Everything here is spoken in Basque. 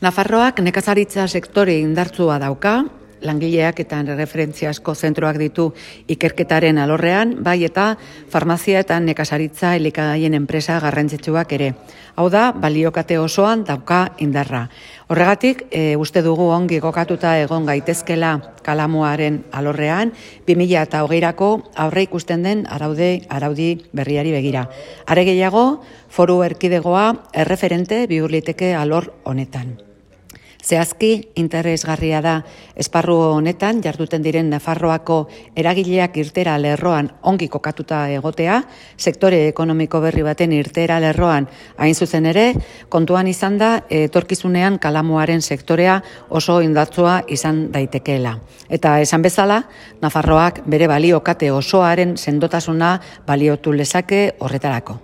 Nafarroak nekazaritza sektore indartsua dauka, langileak eta referentziazko zentroak ditu ikerketaren alorrean, bai eta farmazia eta nekazaritza elikagaien enpresa garrantzitsuak ere. Hau da, baliokate osoan dauka indarra. Horregatik, uste dugu ongi kokatuta egon gaitezkela kalamuaren alorrean, 2020ko aurre ikusten den araudi berriari begira. Are gehiago, foru erkidegoa erreferente bihur liteke alor honetan. Zehazki, interesgarria da esparru honetan jarduten diren Nafarroako eragileak irtera lerroan ongi kokatuta egotea, sektore ekonomiko berri baten irtera lerroan hain zuzen ere, kontuan izan da etorkizunean kalamuaren sektorea oso indartsua izan daitekeela. Eta esan bezala, Nafarroak bere baliokate osoaren sendotasuna baliotu lezake horretarako.